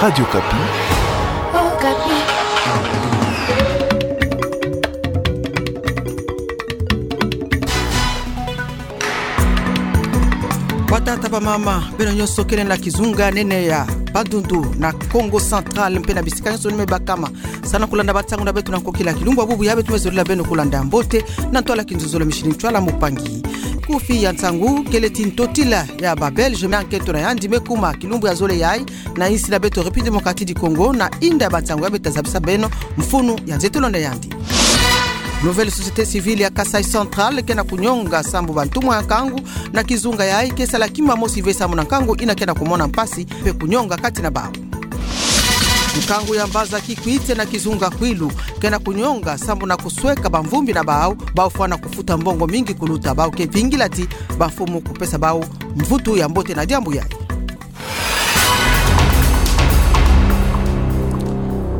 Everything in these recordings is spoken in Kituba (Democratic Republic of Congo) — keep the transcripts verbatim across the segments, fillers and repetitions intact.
Radio Okapi. Okapi. Batata, bamama, beno nyonso kele na kizunga nene ya Bandundu, na Kongo Central, mpe na bisika nyonso ni me bakama. Salu na kulanda bansangu na beto na nkokila. Kilumbu ya bubu ya beto me zolila beno kulanda ya mbote, na ntwala kinzuzolo, Micheline Tshoala Mupangi. Kufi ya nsangu kele ti ntotila ya ba Belge na nkento na yandi me kuma kilumbu ya zole yayi na insi na beto République Démocratique du Congo, na inda ya bansangu ya beto ta zabisa beno mfunu ya nzetel'onde yandi. Nouvelle société civile ya Kasaï Central ke na kunyonga sambu bantumwa ya nkangu na kizunga yayi ke sala kima mosi ve sambu na nkangu ina ke na kumona mpasi mpe kunyonga kati na bawu. Nkangu ya mbaza Kikwit na kizunga Kwilu ke na kunyonga sambu na kusweka bamvumbi na bawu, bawu fwana kufuta mbongo mingi kuluta. Bawu ke vingila ti bamfumu kupesa bawu mvutu ya mbote na diambu yayi.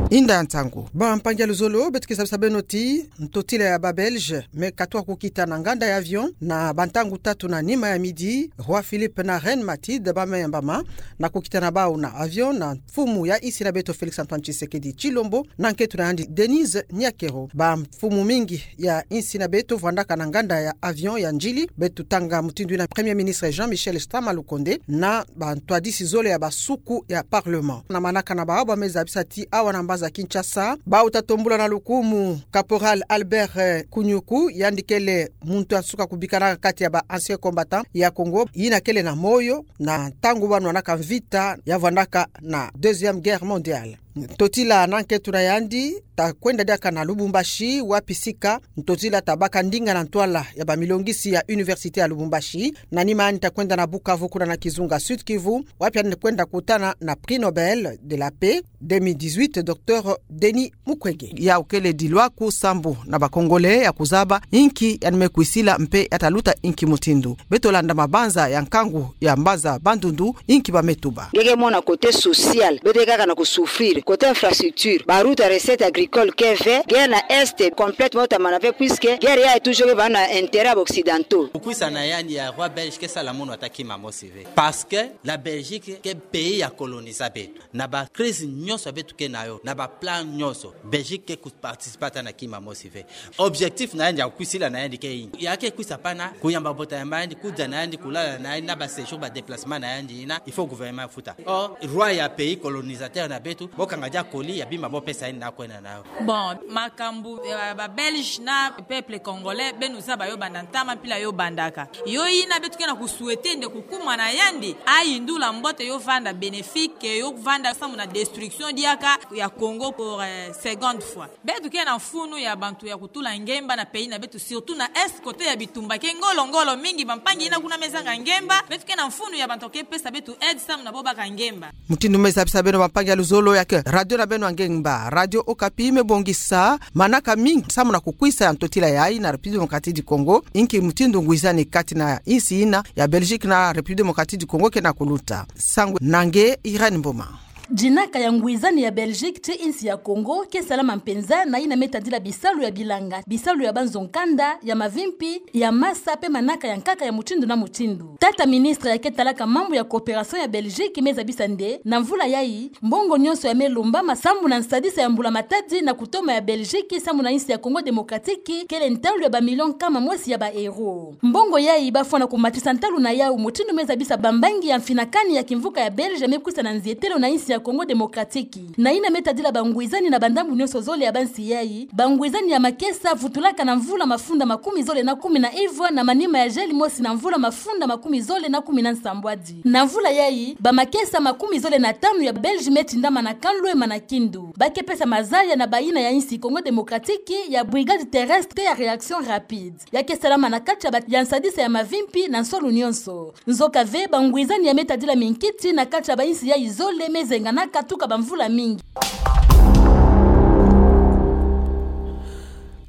Inda ya nsangu. Bampangi ya luzolo, beto ke zabisa beno ti ntotila ya ba Belge me katuka kukita na nganda ya avion na bantangu tatu na nima ya midi, Roi Philippe na Reine Mathilde ba me yambama na kukita na bawu na avion na mfumu ya insi na beto Félix Antoine Tshisekedi Tshilombo na nkento na yandi Denise Nyakero. Bamfumu mingi ya insi na beto vwandaka na nganda ya avion ya Ndjili. Beto tanga mutindu ina Premier Ministre Jean-Michel Sama Lukonde na bantwadisi zole ya basuku ya Parlement. Na manaka na bawu, ba me zabisa ti awa na mbaza Kinshasa, bawu ta tombula na lukumu Caporal Albert, eh, Kunyuku, yandi kele muntu ya nsuka kubikana kati ya ba anciens combattants ya Congo, ina kele na moyo na ntangu ba nwanaka mvita ya vwandaka na Deuxième Guerre mondiale. Ntotila na nkento na yandi ta kwenda diaka na Lubumbashi, wapi sika ntotila ta baka ndinga na ntwala ya bamilongisi ya Université ya Lubumbashi. Na nima yandi ta kwenda na Bukavu, kuna na kizunga Sud-Kivu, wapi yandi kwenda kutana na Prix Nobel de la Paix deux mille dix-huit, Docteur Denis Mukwege. Yawu kele dilwaku sambu na ba Congolais ya kuzaba inki yandi me kwisila mpe ya ta luta inki mutindu. Beto landa mabanza ya nkangu ya mbaza Bandundu, inki ba me tuba. Nge ke mona côté social, beto ke kaka na kusouffrir. Côté infrastructure, ba route ya recette agricole ke ve, guerre na Est complètement ta mana ve, puisque guerre yayi toujours ke va na intérêt ya ba Occidentaux. Kukwisana yandi ya roi belge ke sala munu ata kima mosi ve. Parce que la Belgique ke pays ya colonisa beto. Na ba crise nyonso beto ke na yo, na ba plan nyonso, Belgique ke ku participer ata na kima mosi ve. Objectif na yandi ya kukwisila na yandi ke inki? Ya ke kwisa pana kuyamba bota ya mama yandi, kudia na yandi, kulala na yandi, na ba séjour, ba déplacement na yandi ina, il faut gouvernement afuta. Or, roi ya pays colonisateur na beto, bo kanga dia colis ya bima bo pesa yandi na kwenda na yo. Bon, makambu, eh, ba Belge na peuple congolais, beno zaba yo banda ntama, mpila yo bandaka. Yo ina beto ke na kusouhaiter nde kukuma na yandi, ayindula mbote, yo vanda bénéfique, yo vanda samu na destruction diaka ya Congo pour, eh, seconde fois. Beto ke na mfunu ya bantu ya kutula ngemba na pays na beto, surtout na Est, côté ya bitumba ke ngolo-ngolo mingi, bampangi ina kuna me zanga ngemba. Beto ke na mfunu ya bantu ke pesa beto aide samu na bo baka ngemba. Mutindu me zabisa beno, bampangi ya luzolo, ya ke radio na beno ya ngemba, Radio Okapi, me bongisa manaka mingi samu na kukwisa ya ntotila yayi na République Démocratique du Congo, inki mutindu ngwizani kati na insi ina ya Belgique na République Démocratique du Congo ke na kuluta. Nsangu na nge Irène Mboma. Dinaka ya ngwizani ya Belgique ti insi ya Congo ke salama mpenza na ina me tadila bisalu ya bilanga, bisalu ya banzo-nkanda, ya mavimpi, ya masa mpe manaka ya nkaka ya mutindu na mutindu. Tata ministre ya ke talaka mambu ya coopération ya Belgique me zabisa nde, na mvula yayi, mbongo nyonso ya me lombama samu na nsadisa ya mbula-matadi na kutoma ya Belgique samu na insi ya Congo Démocratique kele ntalu ya ba millions nkama mosi ya ba euros. Mbongo yayi ba fwana kumatisa ntalu na yawu, mutindu me zabisa bambangi ya mfinakani ya kimvuka ya Belge me kwisa na nzietelo na insi ya Congo Démocratique. Na ina me tadila bangwizani na bandambu nyonso zole ya bansi yayi, bangwizani ya makesa vutulaka na mvula mafunda makumi zole na kumi na ivwa na manima ya gel mosi na mvula mafunda makumi zole na kumi na nsambwadi. Na mvula yayi, bamakesa makumi zole na tanu ya Belge me tindama na kanlu ema na kindu. Ba ke pesa mazaya na bayina ya insi Congo Démocratique ya brigade terrestre ya réaction rapide. Ya ke salama na kati ya ba-, ya nsadisa ya mavimpi na nsolo nyonso. Nzoka ve, bangwizani ya me tadila minkiti na kati ya bainsi yayi zole me zenganaka tuka bamvula mingi.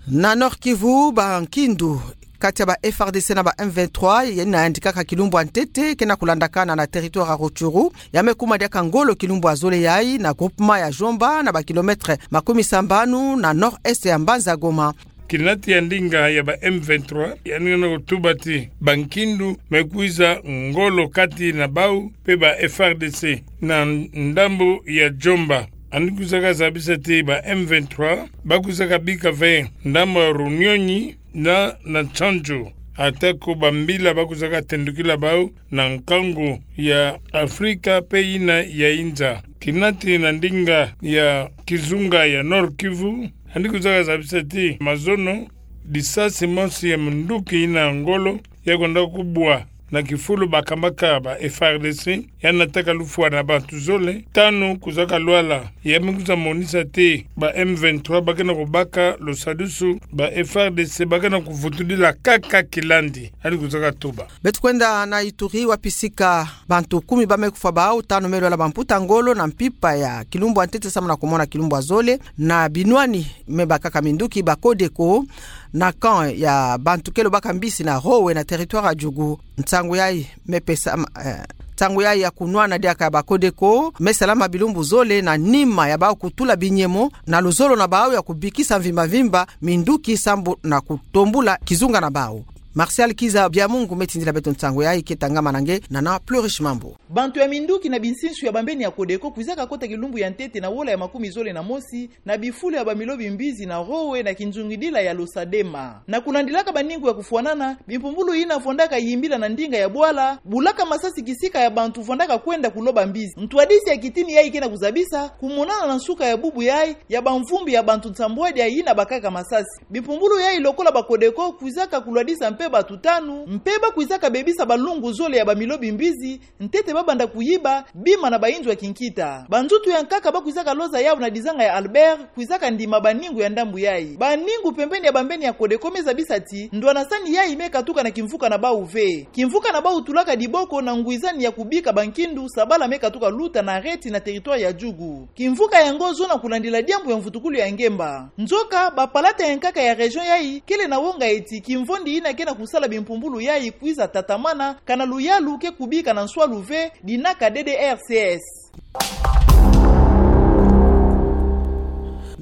Na Nord-Kivu, bankindu kati ya ba F A R D C na ba M vingt-trois, yina yandi kaka kilumbu ya ntete, ke na kulandakana na territoire ya Rutshuru, ya me kuma diaka ngolo kilumbu ya zole yayi, na groupement ya Djomba, na ba kilomètre makumi sambanu na nord-est ya mbanza Goma. Kinati ya ndinga ya ba M vingt-trois, yandi kena kutuba ti bankindu me kwiza ngolo kati na bau pe ba F A R D C na ndambo ya Djomba. Yandi kwizaka zabisa ti ba M vingt-trois bakwizaka bika ve ndambo ya Runyonyi na, na Tchandjo. Ata ko bambila bakwizaka tendukila bau na nkangu ya Afrika pe yina ya inza. Kinati na ndinga ya kizunga ya Nord-Kivu, yandi kwizaka zabisa ti mazono, lisasi mosi ya munduki yina ngolo yakwenda kubwa na kifulu bakambaka ba F A R D C, yandi nataka lufwa na bantu zole. Tanu kwizaka lwala, ya me kwiza monisa ti ba M vingt-trois bakena kubaka lusadusu, ba F A R D C bakena kuvutudila kaka kilandi. Yandi kwizaka tuba. Beto kwenda na Ituri, wapi sika bantu kumi ba me kufwa bau, tanu me lwala bamputa ngolo na mpimpa ya kilumbu ya ntete samu na kumona kilumbu ya zole, na binwani me bakaka minduki ba Codeco na camp ya bantu kele baka mbisi na Rowe na territoire ya Djugu. Nsangu yayi me pesa, eh, nsangu yayi ya kunwana diaka ya ba Codeco me salama bilumbu zole na nima ya bau kutula binyemo na luzolo na bau ya kubikisa mvimba mvimba minduki samu na kutombula kizunga na bau. Martial Kiza Biamungu me tindila beto nsangu yayi, keta ngama na nge na na Plurish Mambu. Bantu ya minduki na binsinsu ya bambeni ya Codeco kwizaka kota kilumbu ya ntete na wola ya makumi zole na mosi na bifulu ya ba milo bimbizi na Rowe na kinzungidila ya Losadema. Na kulandilaka baningu ya kufwanana, bimpumbulu yina vwandaka yimbila na ndinga ya bwala, bulaka masasi kisika ya bantu vwandaka kwenda kuloba mbizi. Ntwadisi ya kitini yayi kena kuzabisa kumonana na nsuka ya bubu yayi ya bamvumbi ya bantu nsambwadi yina bakaka masasi. Bimpumbulu yayi lokola ba Codeco kwizaka kulwadisa mpe bantu tanu, mpe bakwizaka bebisa balungu zole ya ba milo bimbizi, ntete babanda kuyiba bima na bayinzo ya kinkita. Banzutu ya nkaka bakwizaka loza yau na dizanga ya Albert kwizaka ndima baningu ya ndambu yayi. Baningu pembeni ya bambeni ya Codeco me zabisa ti ndwanasani yayi me katuka na kimvuka na bau ve. Kimvuka na bau tulaka diboko na ngwizani ya kubika bankindu, sabala me katuka luta na reti na territoire ya Djugu. Kimvuka yango zona kulandila diambu ya mvutukulu ya ngemba. Nzoka, bapalata ya nkaka ya région yayi kele na wonga eti kimvondi yina kena kusala bimpumbulu yayi kwiza tatamana, kana luyalu ke kubika na nswalu ve, dinaka D D R C S.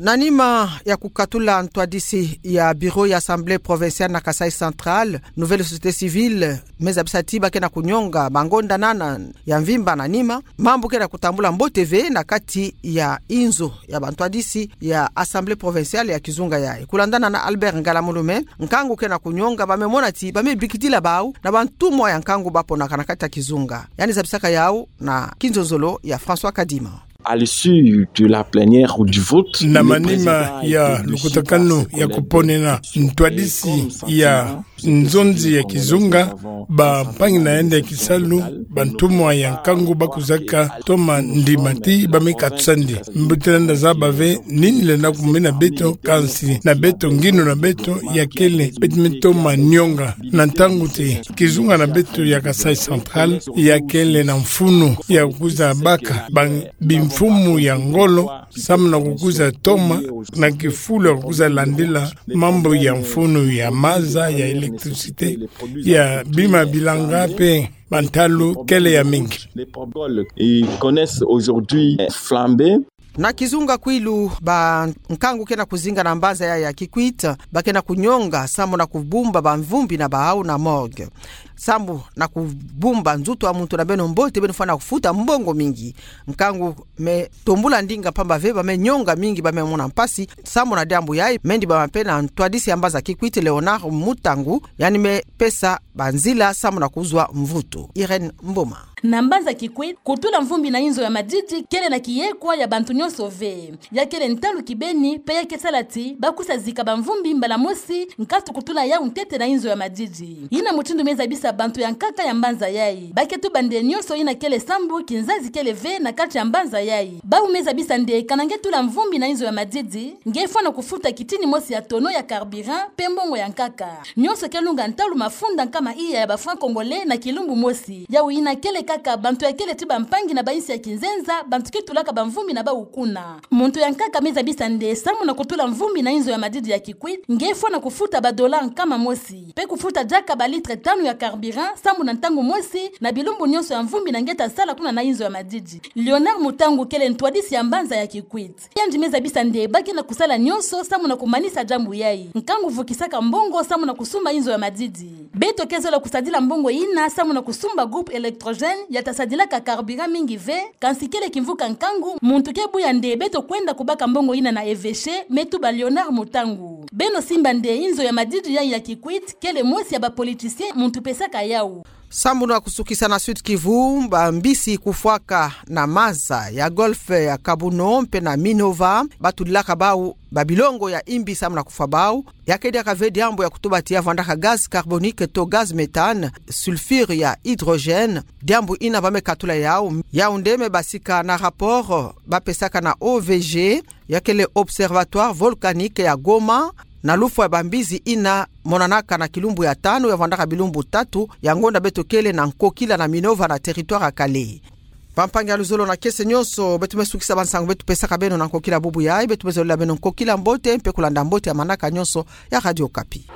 Na nima ya kukatula ntwadisi ya bureau ya Assemblée provinciale na Kasaï Central, Nouvelle Société Civile me zabisa ti bakena kunyonga bangondanana ya mvimba na nima, mambu kena kutambula mbote ve na kati ya inzo ya bantwadisi ya Assemblée provinciale ya kizunga yayi. Kulandana na Albert Ngalamulume, nkangu kena kunyonga ba me mona ti ba me bikidila bau na bantumwa ya nkangu baponaka na kati ya kizunga. Yandi zabisaka yau na kinzonzolo ya François Kadima. À l'issue de la plénière ou du vote, na manima ya lukutakanu ya kuponena ntwadisi ya nzonzi ya kizunga, bampangi na yandi ya kisalu, bantumwa ya nkangu bakwizaka toma ndima ti ba me katusa ndi. Mbuta lenda zaba ve nini lenda kumina beto, kansi na beto, ngindu na beto ya kele, beto me toma nyonga na ntangu ti kizunga na beto ya Kasaï Central ya kele na mfunu ya kukwiza baka ba bimfumu ya ngolo, samu na kukwiza toma na kifulu ya kukwiza landila mambu ya mfunu ya maza, ya électricité, ya bima bilanga mpe bantalu kele ya mingi. Ils connaissent aujourd'hui flambée. Na kizunga Kwilu, bankangu kena kuzinga na mbanza yayi ya Kikwit bakena kunyonga samu na kubumba bamvumbi na bau na morgue. Samu na kubumba nzutu ya muntu na beno mbote, beno fwana kufuta mbongo mingi. Nkangu me tombula ndinga mpamba ve ba me nyonga mingi, ba me mona mpasi samu na diambu yayi. Me ndibama mpe na ntwadisi ya mbanza Kikwit, Léonard Mutangu, yandi me pesa banzila samu na kuzwa mvutu. Irène Mboma. Na mbanza Kikwit, kutula mvumbi na inzo ya madidi kele na kiyekwa ya bantu nyonso ve. Ya kele ntalu kibeni, mpe ya ke sala ti bakwisa zika bamvumbi mbala mosi, nkatu kutula yau ntete na inzo ya madidi. Yina mutindu me zabisa bantu ya nkaka ya mbanza yayi. Ba ke tuba nde nyonso yina kele sambu, kinzazi kele ve na kati ya mbanza yayi. Bau me zabisa nde kana nge tula mvumbi na inzo ya madidi, nge fwana kufuta kitini mosi ya tonneau ya carburant, mpe mbongo ya nkaka. Nyonso ke lunga ntalu mafunda nkama iya ya ba francs congolais na kilumbu mosi. Yau yina kele kaka bantu ya kele ti bampangi na bainsi ya kinzenza, bantu ke tulaka bamvumbi na bau kuna. Muntu ya nkaka me zabisa nde samu na kutula mvumbi na inzo ya madidi ya Kikwit, nge fwana kufuta ba dollars nkama mosi, mpe kufuta diaka ba litres tanu ya carburant. carburant samu na ntangu mosi na bilumbu nyonso ya mvumbi na nge ta sala kuna na inzo ya madidi. Léonard Mutangu kele ntwadisi ya mbanza ya Kikwit. Yandi me zabisa nde bake na kusala nyonso samu na kumanisa diambu yayi. Nkangu vukisaka mbongo samu na kusumba inzo ya madidi. Beto ke zola kusadila mbongo yina samu na kusumba groupe électrogène ya ta sadilaka carburant mingi ve, kansi kele kimvuka nkangu, muntu ke buya nde beto kwenda kubaka mbongo yina na evêché, me tuba Léonard Mutangu. Beno simba nde inzo ya madidi yayi ya Kikwit kele mosi ya ba politiciens muntu pesaka yawu. Samu na kusukisa na Sud-Kivu, bambisi kufwaka na maza ya golfe ya Kabuno mpe na Minova, batulilaka bawu ba bilongo ya imbi samu na kufwa bawu. Ya ke diaka ve diambu ya kutuba ti ya vwandaka gaz carbonique to gaz méthane, sulfure ya hydrogène. Diambu yina ba me katula yawu. Yawu nde me basika na rapport ba pesaka na O V G, ya kele Observatoire Volcanique ya Goma, na lufwa ya bambisi yina monanaka na kilumbu ya tanu ya vwandaka bilumbu tatu, ya ngonda beto kele na nkokila na Minova na territoire ya Kale. Bampangi ya luzolo na kiese nyonso, beto me sukisa bansangu beto pesaka beno na nkokila bubu yayi. Beto me zolila beno nkokila mbote mpe kulanda mbote ya manaka nyonso ya Radio Okapi.